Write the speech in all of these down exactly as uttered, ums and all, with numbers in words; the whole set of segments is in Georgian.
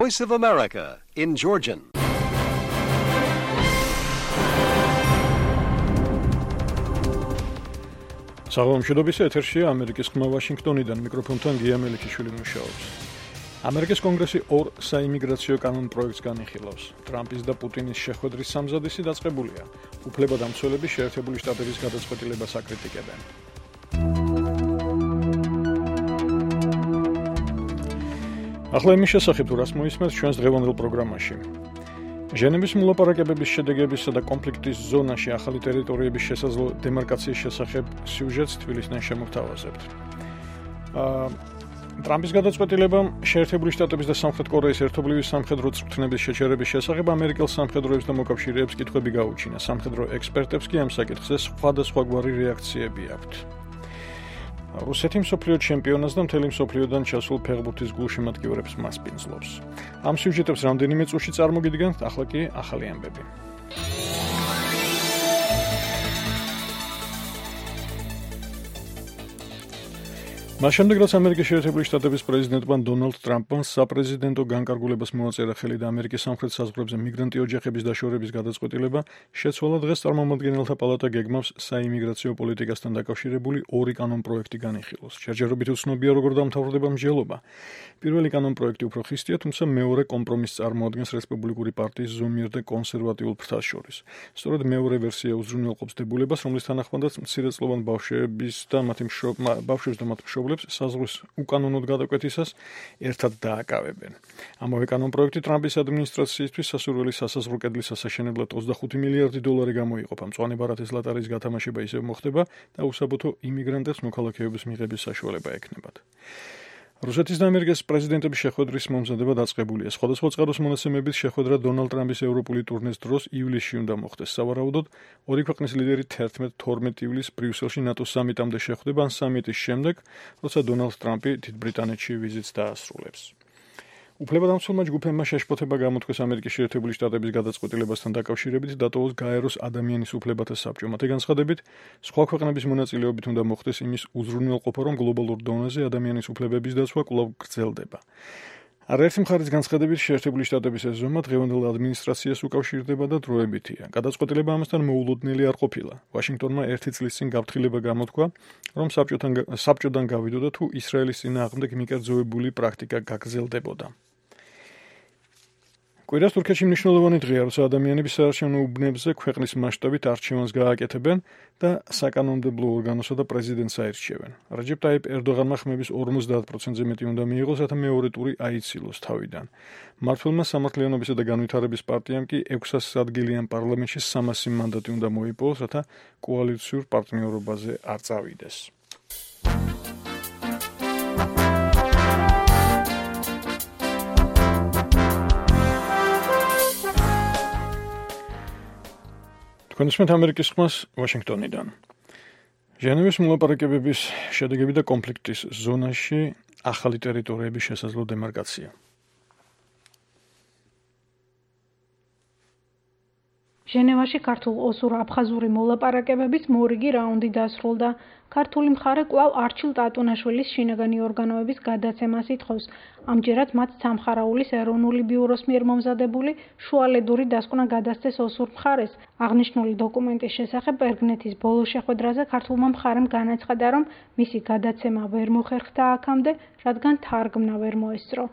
Voice of America in Georgian. საღამომშვიდობის ეთერშია ამერიკის ხმა ვაშინგტონიდან მიკროფონთან გია მელიქიშვილი მუშაობს. ამერიკის კონგრესი ორ საიმიგრაციო კანონ პროექტს განიხილავს. ტრამპის და პუტინის შეხვედრის სამზადისი დაწყებულია. უფლებადამცველები შეერთებული შტატების გადაწყვეტილებას აკრიტიკებენ. ახლა იმის შესახებ თუ რას მოისმენთ ჩვენს დღევანდელ პროგრამაში. ჟენევის მოლაპარაკებების შედეგებისა და კონფლიქტის ზონაში ახალი ტერიტორიების შესაძლო დემარკაციის შესახებ სიუჟეტს თბილისიდან შემოგთავაზებთ. ტრამპის გადაწყვეტილებამ შეერთებული შტატების და სამხრეთ კორეის ერთობლივი სამხედრო წვრთნების შეჩერების შესახებ ამერიკელ სამხედროებს და მოკავშირეებს კითხვები გაუჩინა. სამხედრო ექსპერტებს კი ამ საკითხზე სხვადასხვაგვარი რეაქციები აქვთ. რუსეთი მსოფლიო ჩემპიონატს და მთელი მსოფლიოდან ჩასულ ფეხბურთის გულშემატკივრებს მასპინძლობს. ამ სიუჟეტებს რამდენიმე წუთში წარმოგიდგენთ, ახლა კი ახალი ამბები. მას შემდეგ, რაც ამერიკის შეერთებული შტატების პრეზიდენტმა დონალდ ტრამპმა საპრეზიდენტო განკარგულებას მოაწერა ხელი და ამერიკის სამხრეთ საზღვრებზე მიგრანტი ოჯახების დაშორების გადაწყვეტილება, შეცვალა დღეს წარმომადგენელთა პალატა გეგმავს საიმიგრაციო პოლიტიკასთან დაკავშირებული ორი კანონ პროექტი განიხილოს. ჯერჯერობით უცნობია, როგორ დამთავრდება მსჯელობა. პირველი კანონ პროექტი უფრო ხისტია, თუმცა მეორე კომპრომისს წარმოადგენს რესპუბლიკური პარტიის ზომიერ და კონსერვატიულ ფრთას შორის. სწორედ მეორე ვერსია უზრუნველყოფს დებულებას, რომლის თანახმადაც მცირეწლოვან ბავშვების და მათი ბავშვებს და მათ მშობლებს საზღვრის უკანონოდ გადაკვეთისას ერთად დააკავებენ. ამავე კანონ პროექტი ტრამპის ადმინისტრაციისთვის სასურველი სასაზღვრო კედლის ასაშენებლად ოცდახუთი მილიარდი დოლარი გამოიყოფა. მწვანე ბარათის ლატარის გათამაშება ისევ მოხდება და უსაბუთო იმიგრანტებს მოქალაქეობის მიღების საშუალება ექნებათ. რუსეთის და ამერიკის პრეზიდენტების შეხვედრის მომზადება დაწყებულია. სხვადასხვა წყაროს მონაცემებით შეხვედრა დონალდ ტრამპის ევროპული ტურნეს დროს ივლისში უნდა მოხდეს. სავარაუდოდ, ორი ქვეყნის ლიდერი თერთმეტ თორმეტ ივლისს ბრიუსელში ნატოს სამიტამდე შეხვდება, ან სამიტის შემდეგ, როცა დონალდ ტრამპი დიდ ბრიტანეთში ვიზიტს დაასრულებს. უფლებადამცველმა ჯგუფებმა შეშფოთება გამოთქვეს ამერიკის შეერთებული შტატების გადაწყვეტილებასთან დაკავშირებით დატოვოს გაეროს ადამიანის უფლებათა საბჭო. მათი განცხადებით, სხვა ქვეყნების მონაწილეობით უნდა მოხდეს იმის უზრუნველყოფა, რომ გლობალურ დონეზე ადამიანის უფლებების დაცვა კვლავ გრძელდება. არაერთი მხარის განცხადებით შეერთებული შტატების ეს ზომა დღევანდელ ადმინისტრაციას უკავშირდება და დროებითია. გადაწყვეტილება ამასთან მოულოდნელი არ ყოფილა. ვაშინგტონმა ერთი წლის წინ გაფრთხილება გამოთქვა, რომ საბჭოთან საბჭოდან გავიდოდა თუ ისრაელის წინააღმდეგ მიკერძოებული პრაქტიკა გაგრძელდებოდა. კვირას თურქეთში მნიშვნელოვანი დღეა, როცა ადამიანები საარჩევნო უბნებზე ქვეყნის მასშტაბით არჩევანს გააკეთებენ და საკანონმდებლო ორგანოსა და პრეზიდენტს აირჩევენ. რაჯებ ტაიპ ერდოღანმა ხმების ორმოცდაათ პროცენტზე მეტი უნდა მიიღოს, რათა მეორე ტური აიცილოს თავიდან. მმართველმა სამართლიანობისა და განვითარების პარტიამ კი ექვსასი ადგილიან პარლამენტში სამასი მანდატი უნდა მოიპოვოს, რათა კოალიციურ პარტნიორობაზე არ წავიდეს. თქვენისმეთ ამერიკის ხმას ვაშინგტონიდან. ჟენევის მოლაპარაკებების შედეგები და კონფლიქტის ზონაში ახალი ტერიტორიების შესაძლო დემარკაცია. ჟენევაში ქართულ-ოსურ-აფხაზური მოლაპარაკებების მორიგი რაუნდი დასრულდა. ქართული მხარე კვლავ არჩილ ტატუნაშვილის შინაგანი ორგანოების გადაცემას ითხოვს. ამჯერად მათ სამხარაულის ეროვნული ბიუროს მიერ მომზადებული შუალედური დასკვნა გადასცეს ოსურ მხარეს. აღნიშნული დოკუმენტის შესახებ ბერგნეთის ბოლო შეხვედრაზე ქართულმა მხარემ განაცხადა, რომ მისი გადაცემა ვერ მოხერხდა აქამდე, რადგან თარგმნა ვერ მოესწრო.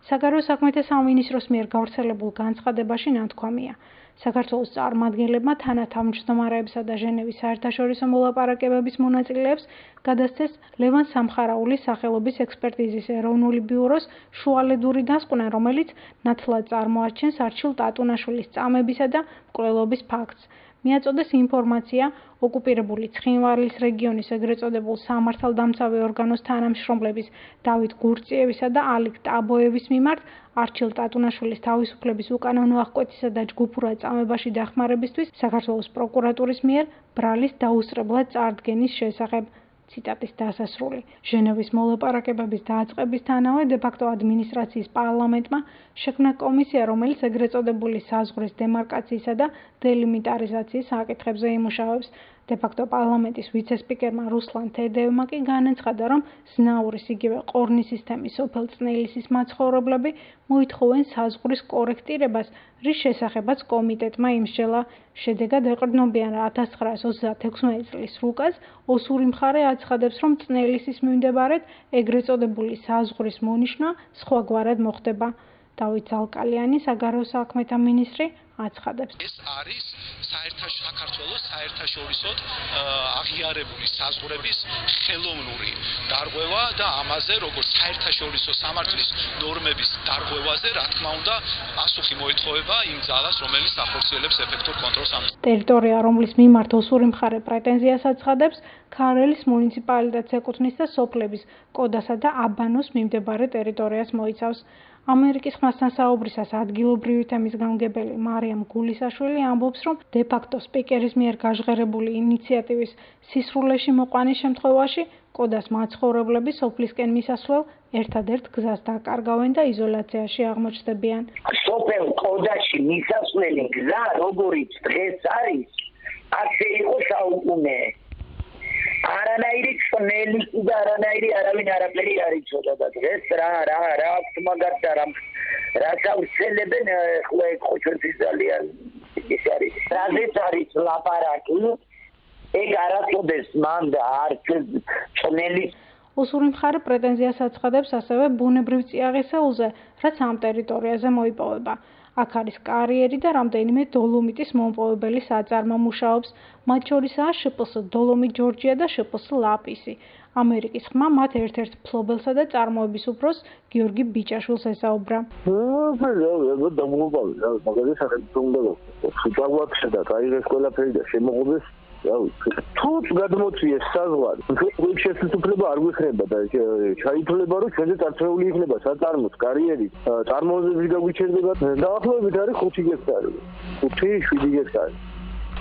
საგარეო საქმეთა სამინისტროს მიერ გავრცელებულ განცხადებაში ნათქვამია. საქართველოს წარმომადგენლებმა თანათავმჯდომარეებსა და ჟენევის საერთაშორისო მოლაპარაკებების მონაწილეებს გადასცეს ლევან სამხარაულის სახელობის ექსპერტიზის ეროვნული ბიუროს შუალედური დასკვნა, რომელიც ნათლად წარმოაჩენს არჩილ ტატუნაშვილის წამებისა და მკვლელობის ფაქტს. მიაწოდეს ინფორმაცია ოკუპირებული ცხინვალის რეგიონის ეგრეთ წოდებულ სამართალდამცავი ორგანოს თანამშრომლების დავით გურწიევისა და ალიკ ტაბოევის მიმართ არჩილ ტატუნაშვილის თავისუფლების უკანონო აღკვეთისა და ჯგუფურად წამებაში დახმარებისთვის საქართველოს პროკურატურის მიერ ბრალის დაუსწრებლად წარდგენის შესახებ. ციტატის დასასრული. ჟენევის მოლაპარაკებების დაწყებისთანავე დე-ფაქტო ადმინისტრაციის პარლამენტმა შექმნა კომისია, რომელიც ეგრეთ წოდებული საზღვრის დემარკაციისა და დელიმიტარიზაციის საკითხებზე იმუშავებს. დე-ფაქტო პარლამენტის ვიცე-სპიკერმა რუსლან თედეევმა კი განაცხადა, რომ ზნაურის იგივე ყორნის სისტემის სოფელ წნელისის მაცხოვრებლები მოითხოვენ საზღვრის კორექტირებას, რის შესახებაც კომიტეტმა იმსჯელა. შედეგად ეყრდნობიან ათას ცხრაას ოცდაათექვსმეტი წლის რუკას, ოსური მხარე აცხადებს, რომ წნელისის მიმდებარედ ეგრეთ წოდებული საზღვრის მონიშნა სხვაგვარად მოხდება. დავით ზალკალიანი, საგარეო საქმეთა მინისტრი, აცხადებს. ეს არის საერთაშორისო საქართველოს საერთაშორისო აღიარებული საზღვრების ხელოვნური დარღვევა და ამაზე როგორც საერთაშორისო სამართლის ნორმების დარღვევაზე, რა თქმა უნდა, პასუხი მოითხოვება იმ ძალას, რომელიც ახორციელებს ეფექტურ კონტროლს ამ ტერიტორია, რომლის მიმართ ოსური მხარე პრეტენზიას აცხადებს, ქარელის მუნიციპალიტეტს ეკუთვნის და სოფლების კოდასა და აბანოს მიმდებარე ტერიტორიას მოიცავს. ამერიკის ხმასთან საუბრისას ადგილობრივი თემის გამგებელი მარიამ გულისაშვილი ამბობს, რომ დე-ფაქტო სპიკერის მიერ გაჟღერებული ინიციატივის სისრულეში მოყვანის შემთხვევაში კოდას მაცხოვრებლები სოფლისკენ მისასვლელ ერთადერთ გზას დაკარგავენ და იზოლაციაში აღმოჩნდებიან. სოფელ კოდაში მისასვლელი გზა, როგორიც დღეს არის, ასე იყო საუკუნე. არანაირი წნელისი და არანაირი არავინ არაფერი არ იცოდა და დღეს რა რა რა აქვს მაგათ და რა რაც აუცელებენ ხო ხოჩოთი ძალიან ის არის რაზეც არის ლაპარაკი ეგ არასოდეს მან და არც წნელი ოსური მხარე პრეტენზიას აცხადებს ასევე ბუნებრივ წიაღისეულზე, რაც ამ ტერიტორიაზე მოიპოვება. აქ არის კარიერი და რამდენიმე დოლომიტის მომპოვებელი საწარმო მუშაობს, მათ შორისაა შპს დოლომიტ ჯორჯია და შპს ლაპისი. ამერიკის ხმა მათ ერთ-ერთ მფლობელსა და წარმოების უფროს გიორგი ბიჭაშვილს ესაუბრა. თუც გადმოწიეს საზღვარი. ეს შესაძლებლობა არ გვექნება და ჩაითვლება, რომ ჩვენზე წარწეული იქნება საწარმოს კარიერი, წარმოებები გაგვიჩერდება. დაახლოებით არის ხუთი გექტარი. ხუთი შვიდი გექტარი.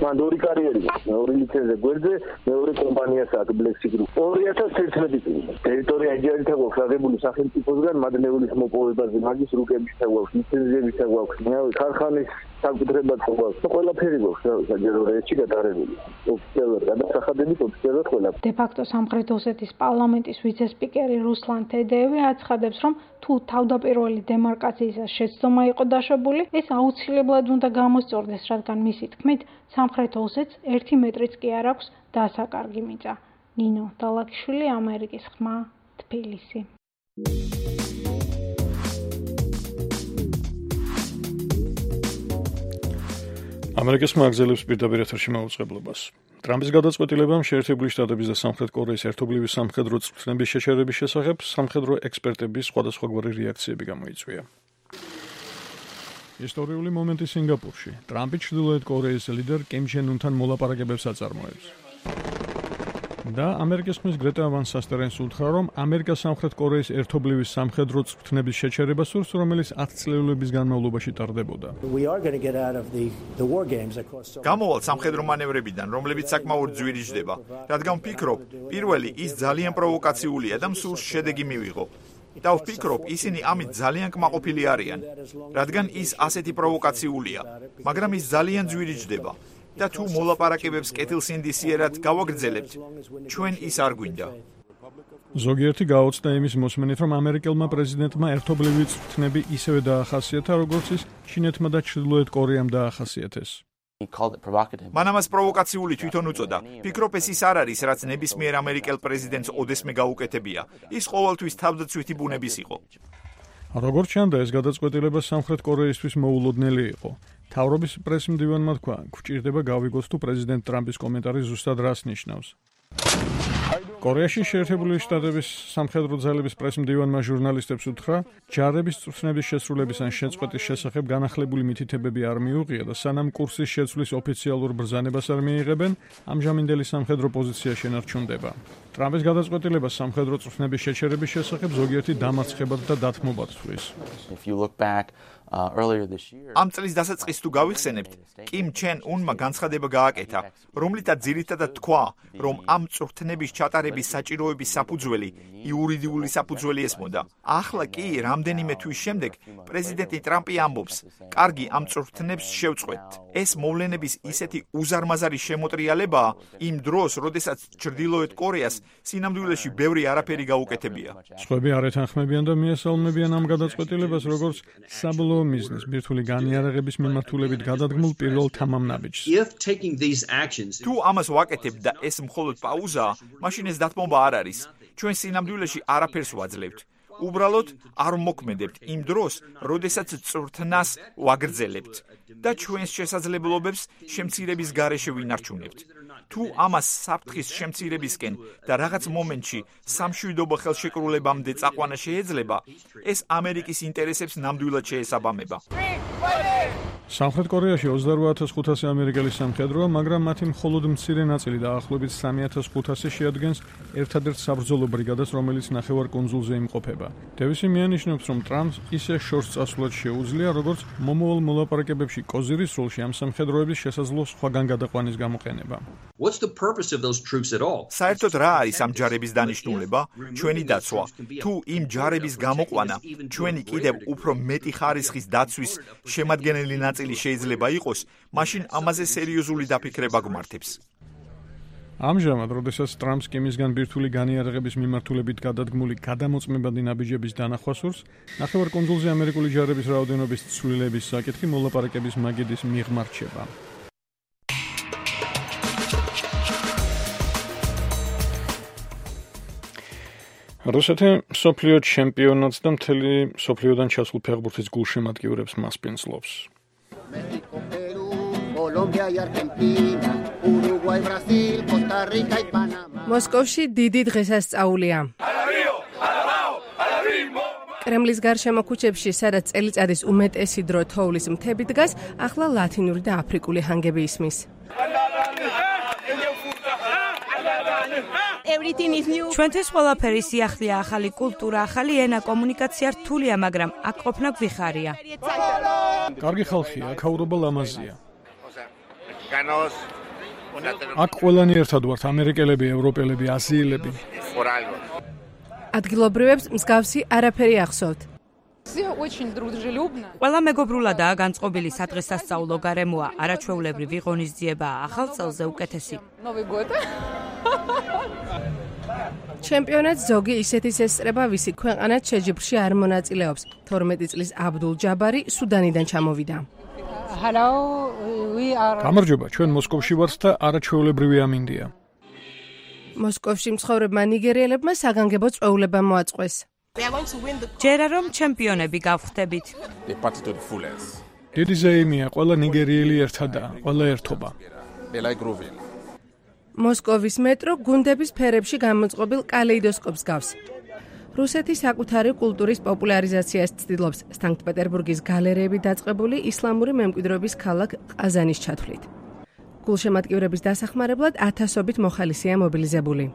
მან ორი კარიერი, მეორე ლიცენზია გვერდზე, მეორე კომპანიას აქვს Black Sea Group. ორი ათას თერთმეტი წელი. ტერიტორია იჯარითა გვაქვს აღებული სახელმწიფოსგან, მადნეულის მოპოვებაზე, მაგის რუკების გვაქვს, ლიცენზიების გვაქვს, ქარხანის საკუთრებაც გვაქვს. ყველაფერი გვაქვს, საჯარო რეჩი გადაღებული. ოფიციალურად გადასახადებით ოფიციალურად ყველა. დე-ფაქტო სამხრეთ ოსეთის პარლამენტის ვიცე-სპიკერი რუსლან თედეევი აცხადებს, რომ თუ თავდაპირველი დემარკაციისას შეცდომა იყო დაშვებული, ეს აუცილებლად უნდა გამოსწორდეს, რადგან მისი თქმით, სამხრეთ ოსეთს ერთი მეტრიც კი არ აქვს დასაკარგი მიწა. ნინო დალაკიშვილი, ამერიკის ხმა, თბილისი. ამერიკის ხმა აგზელებს პირდაპირ ეთერში მაუწყებლობას. ტრამპის გადაწყვეტილებამ შეერთებული შტატების და სამხრეთ კორეის ერთობლივი სამხედრო წვრთნების შეჩერების შესახებ სამხედრო ექსპერტების სხვადასხვაგვარი რეაქციები გამოიწვია. ისტორიული მომენტი სინგაპურში. ტრამპი ჩრდილოეთ კორეის ლიდერ კიმ ჩენ უნთან მოლაპარაკებებს აწარმოებს. და ამერიკის ხმის გრეტა ვან სასტერენს უთხრა, რომ ამერიკა სამხრეთ კორეის ერთობლივი სამხედრო წვრთნების შეჩერებას სურს, რომელიც ათი წლების განმავლობაში ტარდებოდა. გამოვალ სამხედრო მანევრებიდან, რომლებიც საკმაოდ ძვირი ჯდება, რადგან ვფიქრობ, პირველი ის ძალიან პროვოკაციულია და მსურს შედეგი მივიღო. და ვფიქრობ, ისინი ამით ძალიან კმაყოფილი არიან, რადგან ის ასეთი პროვოკაციულია, მაგრამ ის ძალიან ძვირი ჯდება. და თუ მოლაპარაკებებს კეთილსინდისიერად გავაგრძელებთ, ჩვენ ის არ გვინდა. ზოგიერთი გაოცდა იმის მოსმენით, რომ ამერიკელმა პრეზიდენტმა ერთობლივი წვრთნები ისევე დაახასიათა, როგორც ის ჩინეთმა და ჩრდილოეთ კორეამ დაახასიათეს. მან ამას პროვოკაციული თვითონ უწოდა. ფიქრობ, ეს ის არ არის, რაც ნებისმიერ ამერიკელ პრეზიდენტს ოდესმე გაუკეთებია. ის ყოველთვის თავდაცვითი ბუნების იყო. როგორც ჩანდა, ეს გადაწყვეტილება სამხრეთ კორეისთვის მოულოდნელი იყო. თავრობის პრესმდივანმა თქვა, გვჭირდება გავიგოთ თუ პრეზიდენტ ტრამპის კომენტარი ზუსტად რას ნიშნავს. კორეაში შეერთებული შტატების სამხედრო ძალების პრესმდივანმა ჟურნალისტებს უთხრა, ჯარების წვრთნების შესრულების ან შეწყვეტის შესახებ განახლებული მითითებები არ მიუღია და სანამ კურსის შეცვლის ოფიციალურ ბრძანებას არ მიიღებენ, ამჟამინდელი სამხედრო პოზიცია შენარჩუნდება. ტრამპის გადაწყვეტილებას სამხედრო წვრთნების შეჩერების შესახებ ზოგიერთი დამარცხებად და დათმობად თვლის. ამ წლის დასაწყისს თუ გავიხსენებთ, კიმ ჩენ უნმა განცხადება გააკეთა, რომლითაც ძირითადად თქვა, რომ ამ წვრთნების ჩატარების საჭიროების საფუძველი იურიდიული საფუძველი ესმოდა. ახლა კი, რამდენიმე თვის შემდეგ, პრეზიდენტი ტრამპი ამბობს, კარგი, ამ წვრთნებს შევწყვეტთ. ეს მოვლენების ისეთი უზარმაზარი შემოტრიალებაა იმ დროს, როდესაც ჩრდილოეთ კორეას სინამდვილეში ბევრი არაფერი გაუკეთებია. სხვები არ ეთანხმებიან და მიესალმებიან ამ გადაწყვეტილებას, როგორც საბოლოო მიზნის ბირთვული განიარაღების მიმართულებით გადადგმულ პირველ თამამნაბიჯს. თუ ამას ვაკეთებთ და ეს მხოლოდ პაუზაა, მაშინ ეს დათმობა არ არის. ჩვენ სინამდვილეში არაფერს ვაძლევთ. უბრალოდ არ მოქმედებთ იმ დროს, როდესაც წვრთნას ვაგრძელებთ და ჩვენს შესაძლებლობებს შემცირების გარეშე ვინარჩუნებთ. თუ ამას საფრთხის შემცირებისკენ და რაღაც მომენტში სამშვიდობო ხელშეკრულებამდე წაყვანა შეეძლება, ეს ამერიკის ინტერესებს ნამდვილად შეესაბამება. სამხრეთ კორეაში ოცდაოთხ ათას ხუთასი ამერიკელი სამხედროა, მაგრამ მათი მხოლოდ მცირე ნაწილი დაახლოებით სამი ათას ხუთასი შეადგენს ერთადერთ საბრძოლო ბრიგადას, რომელიც ნახევარკუნძულზე იმყოფება. დევისი მიანიშნებს, რომ ტრამპს ისე შორს წასვლაც შეუძლია, როგორც მომავალ მოლაპარაკებებში კოზირის როლში ამ სამხედროების შესაძლო სხვაგან გადაყვანის გამოყენება. საერთოდ რა არის ამ ჯარების დანიშნულება? ჩვენი დაცვა. თუ იმ ჯარების გამოყვანა ჩვენი კიდევ უფრო მეტი ხარისხის დაცვის შემადგენელი ნაწილი შეიძლება იყოს, მაშინ ამაზე სერიოზული დაფიქრება გვმართებს. ამჟამად, როდესაც ტრამპს კიმისგან ბირთვული განიარაღების მიმართულებით გადადგმული გადამოწმებადი ნაბიჯების დანახვა სურს, ნახევარკუნძულზე ამერიკული ჯარების რაოდენობის ცვლილების საკითხი მოლაპარაკების მაგიდის მიღმა რჩება. რუსეთი მსოფლიო ჩემპიონატს და მთელი მსოფლიოდან ჩასულ ფეხბურთის გულშემატკივრებს მასპინძლობს. მოსკოვში დიდი დღესასწაულია. კრემლის გარშემო ქუჩებში, სადაც წელიწადის უმეტესი დრო თოვლის მთები დგას, ახლა ლათინური და აფრიკული ჰანგები ისმის. ჩვენთვის ყველაფერი სიახლეა, ახალი კულტურა, ახალი ენა, კომუნიკაცია რთულია, მაგრამ აქ ყოფნა გვიხარია. კარგი ხალხია, აქაურობა ლამაზია. აქ ყველანი ერთად ვართ, ამერიკელები, ევროპელები, აზიელები. ადგილობრივებს მსგავსი არაფერი ახსოვთ. ყველა მეგობრულადაა განწყობილი სადღესასწაულო გარემოა, არაჩვეულებრივი ღონისძიებაა, ახალ წელზე უკეთესი. ჩემპიონატს ზოგი ისეთის ესწრება, ვისი ქვეყანაც შეჯიბრში არ მონაწილეობს. თორმეტი წლის აბდულ ჯაბარი სუდანიდან ჩამოვიდა. გამარჯობა, ჩვენ მოსკოვში ვართ და არაჩვეულებრივი ამინდია. მოსკოვში მცხოვრებმა ნიგერიელებმა საგანგებო წვეულება მოაწყვეს. ჯერა რომ ჩემპიონები გავხდებით. დიდი ზეიმია, ყველა ნიგერიელი ერთადაა, ყველა ერთობა. მოსკოვის მეტრო გუნდების ფერებში გამოწყობილ კალეიდოსკოპს გავს. რუსეთი საკუთარი კულტურის პოპულარიზაციას ცდილობს სანქტ-პეტერბურგის გალერეები დაწყებული ისლამური მემკვიდრეობის ქალაქ ყაზანის ჩათვლით. გულშემატკივრების დასახმარებლად ათასობით მოხალისეა მობილიზებული.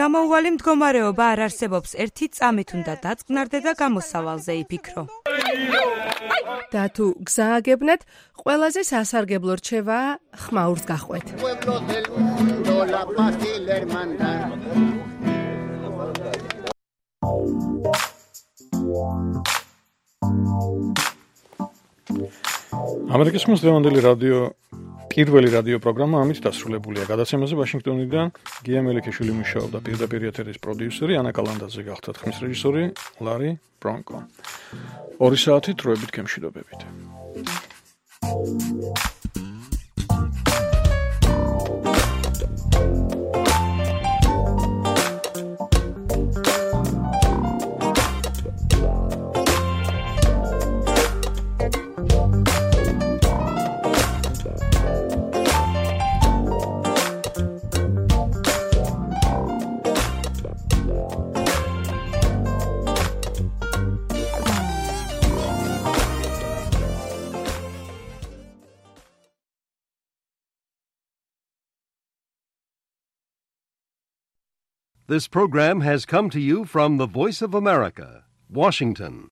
გამოუვალი მდგომარეობა არ არსებობს, ერთი წამით უნდა დაწყნარდე და გამოსავალზე იფიქრო. და თუ გზააგებნათ, ყველაზე სასარგებლო რჩევაა ხმაურს გახვეთ. ამერიკის მოსდევანდელი რადიო პირველი რადიო პროგრამა ამით დასრულებულია. გადაცემაზე ვაშინგტონიდან გია მელიქიშვილი მუშაობდა, პირდაპირ ეთერის პროდიუსერი ანა კალანდაძე გახდა, ხმის რეჟისორი ლარი ბრონკო. ორი საათი დროებით გემშვიდობებით. This program has come to you from the Voice of America, Washington.